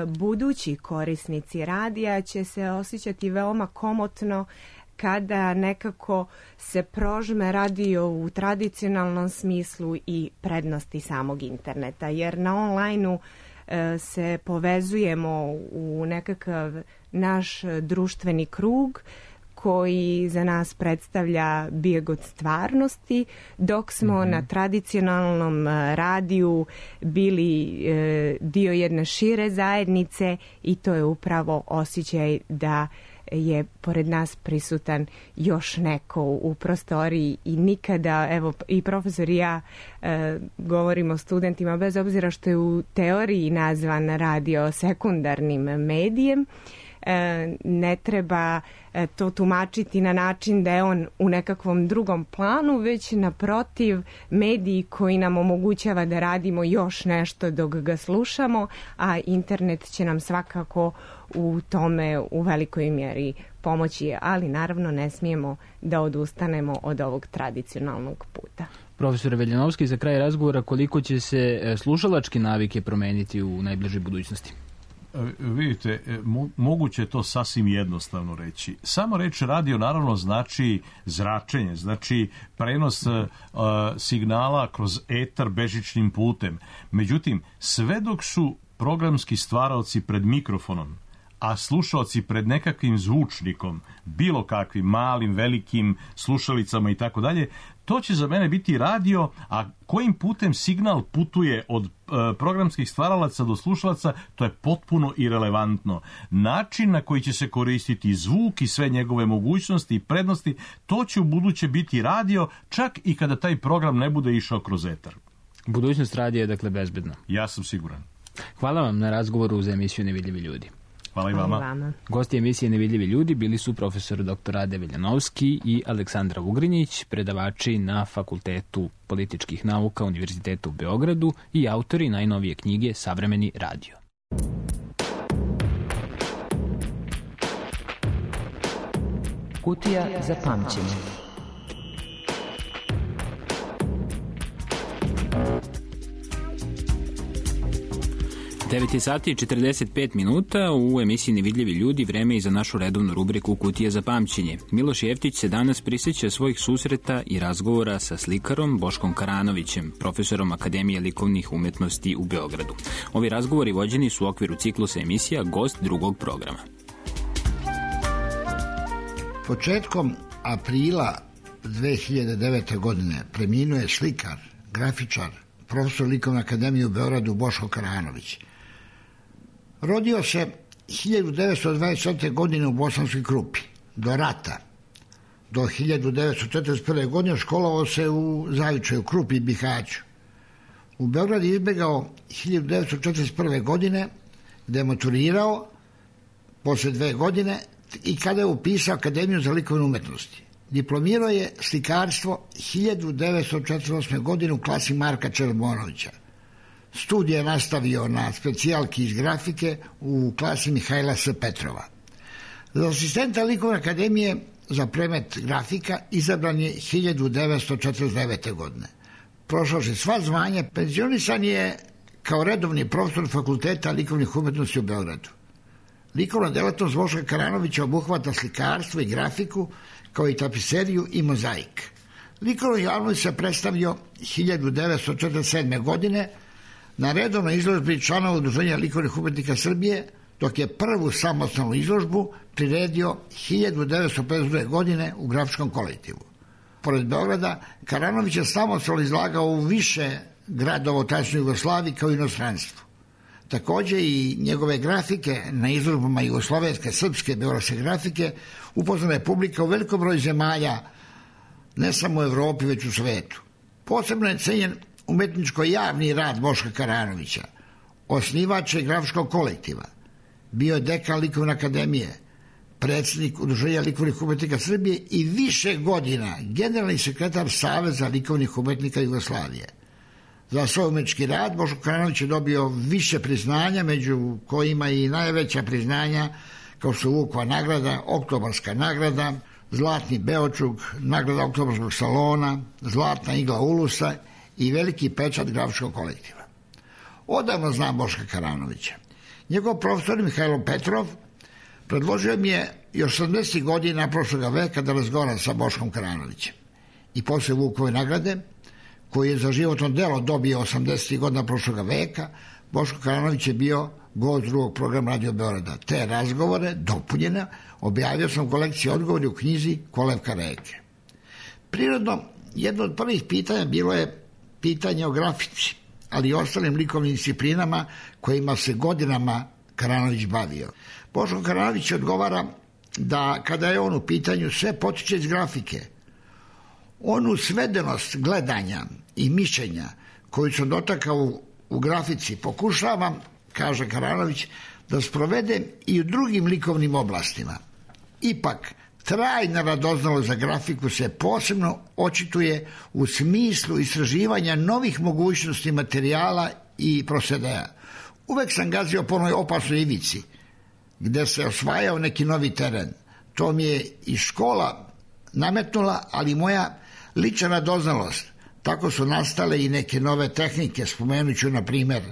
budući korisnici radija će se osjećati veoma komotno kada nekako se prožme radio u tradicionalnom smislu i prednosti samog interneta, jer na onlajnu se povezujemo u nekakav naš društveni krug koji za nas predstavlja bijeg od stvarnosti, dok smo mm-hmm. na tradicionalnom radiju bili e, dio jedne šire zajednice i to je upravo osjećaj da je pored nas prisutan još neko u prostoriji i nikada, evo i profesor i ja e, govorimo studentima, bez obzira što je u teoriji nazvan radio sekundarnim medijem, e, ne treba e, to tumačiti na način da je on u nekakvom drugom planu, već naprotiv mediji koji nam omogućava da radimo još nešto dok ga slušamo, a internet će nam svakako u tome u velikoj mjeri pomoći, ali naravno ne smijemo da odustanemo od ovog tradicionalnog puta. Profesor Veljanovski, za kraj razgovora, koliko će se slušalačke navike promeniti u najbližoj budućnosti? Vidite, mo- moguće je to sasvim jednostavno reći. Samo reč radio naravno znači zračenje, znači prenos uh, signala kroz etar bežičnim putem. Međutim, sve dok su programski stvaraoci pred mikrofonom, a slušaoci pred nekakvim zvučnikom, bilo kakvim malim, velikim slušalicama i tako dalje, to će za mene biti radio, a kojim putem signal putuje od e, programskih stvaralaca do slušalaca, to je potpuno irelevantno. Način na koji će se koristiti zvuk i sve njegove mogućnosti i prednosti, to će u buduće biti radio, čak i kada taj program ne bude išao kroz etar. Budućnost radija je dakle bezbedna. Ja sam siguran. Hvala vam na razgovoru za emisiju Nevidljivi ljudi. Hvala i vama. Hvala vama. Gosti emisije Nevidljivi ljudi bili su profesor doktor Rade Veljanovski i Aleksandra Ugrinjić, predavači na Fakultetu političkih nauka Univerziteta u Beogradu i autori najnovije knjige Savremeni radio. Kutija za pamćenje. devet je sati i četrdeset pet minuta, u emisiji Nevidljivi ljudi vreme i za našu redovnu rubriku Kutija za pamćenje. Miloš Jeftić se danas prisjeća svojih susreta i razgovora sa slikarom Boškom Karanovićem, profesorom Akademije likovnih umetnosti u Beogradu. Ovi razgovori vođeni su u okviru ciklusa emisija Gost drugog programa. Početkom aprila dve hiljade devete. godine preminuo je slikar, grafičar, profesor Likovne akademije u Beogradu Boško Karanović. Rodio se hiljadu devetsto dvadeset četvrte. godine u Bosanskoj Krupi. Do rata, do hiljadu devetsto četrdeset prve. godine školovao se u Zavičaju, Krupi i Bihaću. U Beogradu je izbegao hiljadu devetsto četrdeset prve. godine, gde je maturirao posle dve godine i kada je upisao Akademiju za likovne umetnosti. Diplomirao je slikarstvo hiljadu devetsto četrdeset osme. godine u klasi Marka Čerbonovića. Studije je nastavio na specijalki iz grafike u klasi Mihajla S. Petrova. Za asistenta Likovne akademije za predmet grafika izabran je hiljadu devetsto četrdeset devete. godine. Prošao je sva zvanja, penzionisan je kao redovni profesor Fakulteta likovnih umetnosti u Beogradu. Likovna delatnost Boška Karanovića obuhvata slikarstvo i grafiku, kao i tapiseriju i mozaik. Likovno javnost se predstavio hiljadu devetsto četrdeset sedme. godine na redovnoj izložbi članova Udruženja likovnih umetnika Srbije, dok je prvu samostalnu izložbu priredio hiljadu devetsto pedeset druge. godine u grafičkom kolektivu. Pored Beograda, Karanović je samostalno izlagao u više gradova u tadašnjoj Jugoslaviji kao i inostranstvu. Takođe i njegove grafike na izložbama jugoslovenske, srpske, beogradske grafike upoznala je publika u velikom broju zemalja, ne samo u Evropi, već u svetu. Posebno je cenjen umetničko-javni rad Boška Karanovića, osnivač je grafičkog kolektiva, bio je dekan Likovne akademije, predsjednik Udruženja likovnih umetnika Srbije i više godina generalni sekretar Saveza likovnih umetnika Jugoslavije. Za svoj umetnički rad Boško Karanović je dobio više priznanja, među kojima i najveća priznanja kao su Vukova nagrada, Oktobarska nagrada, Zlatni Beočuk, nagrada Oktobarskog salona, Zlatna igla Ulusa i veliki pečat grafičkog kolektiva. Odavno znam Boška Karanovića. Njegov profesor Mihajlo Petrov predložio mi je još sedamdesetih godina prošlog veka da razgovaram sa Boškom Karanovićem. I posle Vukove nagrade, koji je za životno delo dobio osamdesetih godina prošlog veka, Boško Karanović je bio gost drugog programa Radio Beograda. Te razgovore, dopunjene, objavio sam u kolekciji odgovori u knjizi Kolevka reke. Prirodno, jedno od prvih pitanja bilo je pitanje o grafici, ali i ostalim likovnim disciplinama kojima se godinama Karanović bavio. Boško Karanović odgovara da kada je on u pitanju sve potiče iz grafike. Onu svedenost gledanja i mišljenja koju sam dotakao u, u grafici pokušavam, kaže Karanović, da sprovede i u drugim likovnim oblastima. Ipak, trajna radoznalost za grafiku se posebno očituje u smislu istraživanja novih mogućnosti materijala i prosedeja. Uvek sam gazio po onoj opasnoj ivici, gde se osvajao neki novi teren. To mi je i škola nametnula, ali moja lična radoznalost. Tako su nastale i neke nove tehnike. Spomenut ću, na primjer,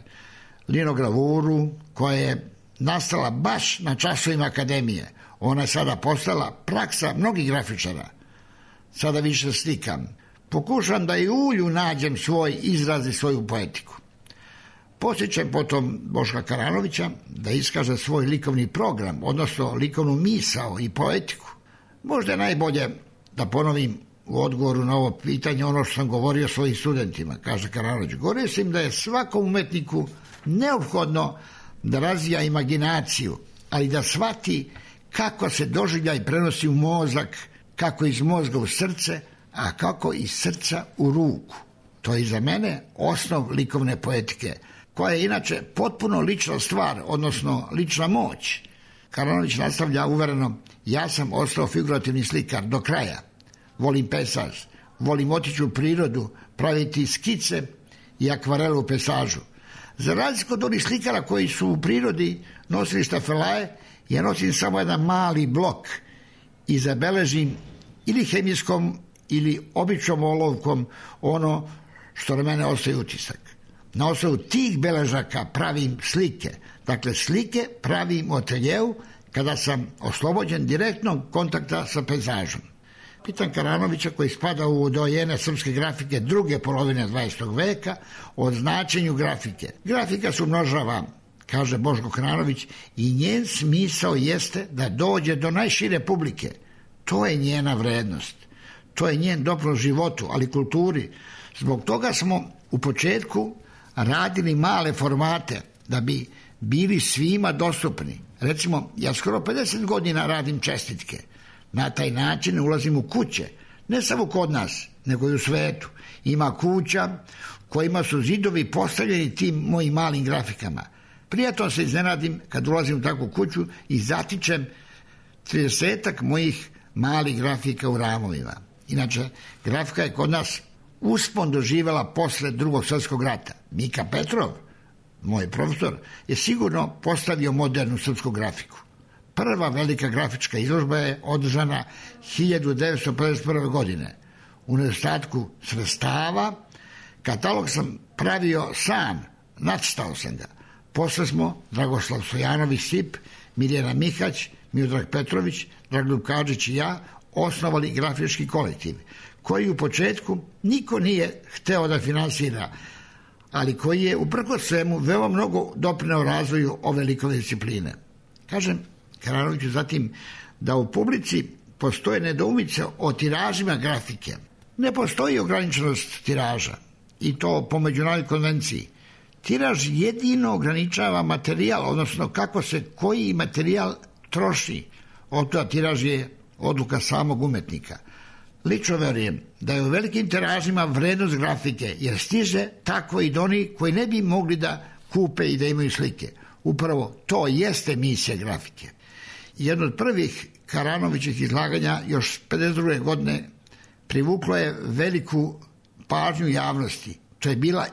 linogravuru, koja je nastala baš na časovima akademije. Ona je sada postala praksa mnogih grafičara. Sada više slikam. Pokušam da i ulju nađem svoj izraz i svoju poetiku. Posjećam potom Boška Karanovića da iskaže svoj likovni program, odnosno likovnu misao i poetiku. Možda je najbolje da ponovim u odgovoru na ovo pitanje ono što sam govorio svojim studentima, kaže Karanović. Govorio sam da je svakom umetniku neophodno da razvija imaginaciju, ali da shvati kako se doživljaj prenosi u mozak, kako iz mozga u srce, a kako iz srca u ruku. To je za mene osnov likovne poetike, koja je inače potpuno lična stvar, odnosno lična moć. Karanović nastavlja uvereno, ja sam ostao figurativni slikar do kraja. Volim pesaž, volim otići u prirodu, praviti skice i akvarelu u pesažu. Za razliku od onih slikara koji su u prirodi nosili štafelaje, ja nosim samo jedan mali blok i zabeležim ili hemijskom ili običnom olovkom ono što na mene ostaje utisak. Na osnovu tih beležaka pravim slike. Dakle, slike pravim u ateljeu kada sam oslobođen direktnog kontakta sa pejzažom. Pitam Karanovića, koji spada u dojene srpske grafike druge polovine dvadesetog veka, o značenju grafike. Grafika se umnožava, kaže Boško Karanović, i njen smisao jeste da dođe do najšire publike. To je njena vrednost. To je njen doprinos životu, ali kulturi. Zbog toga smo u početku radili male formate da bi bili svima dostupni. Recimo, ja skoro pedeset godina radim čestitke. Na taj način ulazim u kuće, ne samo kod nas, nego i u svetu. Ima kuća kojima su zidovi postavljeni tim mojim malim grafikama. Prijatno se iznenadim kad ulazim u takvu kuću i zatičem tridesetak mojih malih grafika u ramovima. Inače, grafika je kod nas uspon doživjela posle drugog svjetskog rata. Mika Petrov, moj profesor, je sigurno postavio modernu srpsku grafiku. Prva velika grafička izložba je održana hiljadu devetsto pedeset prve. godine. U nedostatku sredstava katalog sam pravio sam, nacrtao sam ga. Posle smo Dragoslav Stojanović Sip, Mirjana Mihać, Miodrag Petrović, Dragoljub Kadžić i ja osnovali grafički kolektiv, koji u početku niko nije hteo da finansira, ali koji je uprkos svemu veoma mnogo doprineo razvoju ove likovne discipline. Kažem Karanoviću zatim da u publici postoje nedoumice o tiražima grafike. Ne postoji ograničenost tiraža, i to po međunarodnoj konvenciji. Tiraž jedino ograničava materijal, odnosno kako se koji materijal troši. Od toga tiraž je odluka samog umetnika. Lično verujem da je u velikim tiražima vrednost grafike, jer stiže tako i do onih koji ne bi mogli da kupe i da imaju slike. Upravo to jeste misija grafike. Jedno od prvih Karanovićih izlaganja još pedeset druge. godine privuklo je veliku pažnju javnosti. To je bila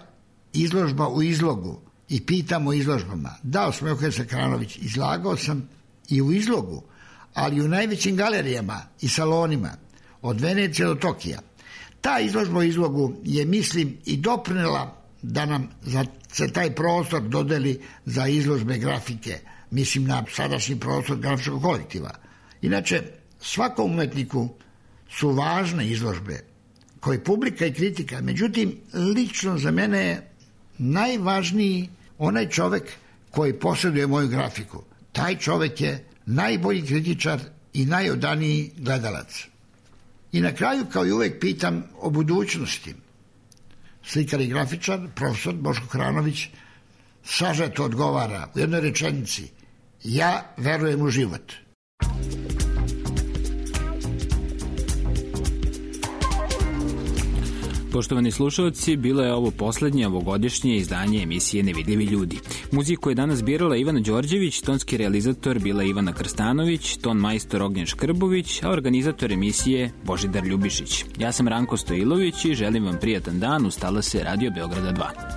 izložba u izlogu i pitam o izložbama. Da, osmehuje se Karanović, izlagao sam i u izlogu, ali u najvećim galerijama i salonima, od Venecije do Tokija. Ta izložba u izlogu je, mislim, i doprinela da nam za, se taj prostor dodeli za izložbe grafike, mislim na sadašnji prostor grafičkog kolektiva. Inače, svakom umetniku su važne izložbe, koje publika i kritika, međutim, lično za mene je najvažniji onaj čovek koji posjeduje moju grafiku. Taj čovek je najbolji kritičar i najodaniji gledalac. I na kraju, kao i uvek, pitam o budućnosti. Slikar i grafičar, profesor Boško Karanović, sažeto odgovara u jednoj rečenici: ja verujem u život. Poštovani slušalci, bilo je ovo poslednje ovogodišnje izdanje emisije Nevidljivi ljudi. Muziku je danas birala Ivana Đorđević, tonski realizator bila Ivana Krstanović, ton majstor Ognjen Škrbović, a organizator emisije Božidar Ljubišić. Ja sam Ranko Stojilović i želim vam prijatan dan uz talase Radio Beograda dva.